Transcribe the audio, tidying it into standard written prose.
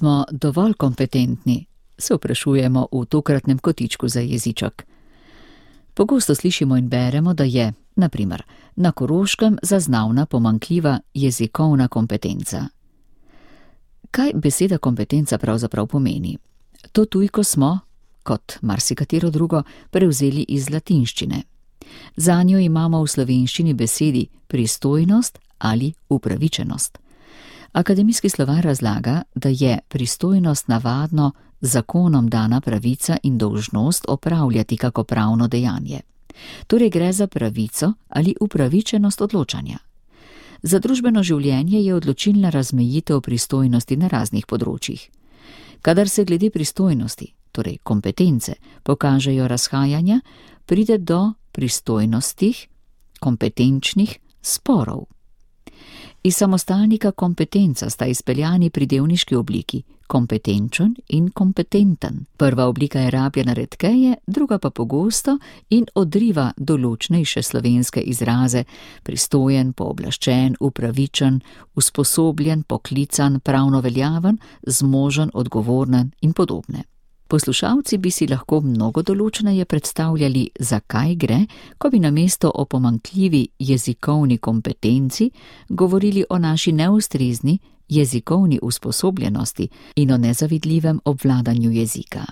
smo dovolj kompetentni, se vprašujemo v tokratnem kotičku za jeziček. Pogosto slišimo in beremo, da je, na primer, na Koroškem zaznavna pomanjkljiva jezikovna kompetenca. Kaj beseda kompetenca pravzaprav pomeni? To tujko smo, kot marsikatero drugo, prevzeli iz latinščine. Zanjo imamo v slovenščini besedi pristojnost ali upravičenost. Akademijski slovar razlaga, da je pristojnost navadno zakonom dana pravica in dolžnost opravljati kako pravno dejanje. Torej gre za pravico ali upravičenost odločanja. Za družbeno življenje je odločilna razmejitev pristojnosti na raznih področjih. Kadar se glede pristojnosti, torej kompetence, pokažejo razhajanja, pride do pristojnostih, kompetenčnih sporov. Iz samostalnika kompetenca sta izpeljani pridevniški obliki kompetenčen in kompetenten. Prva oblika je rabljena redkeje, druga pa pogosto in odriva določnejše slovenske izraze: pristojen, pooblaščen, upravičen, usposobljen, poklican, pravno veljaven, zmožen, odgovoren in podobne. Poslušalci bi si lahko mnogo določneje predstavljali, zakaj gre, ko bi namesto o pomanjkljivi jezikovni kompetenci govorili o naši neustrezni jezikovni usposobljenosti in o nezavidljivem obvladanju jezika.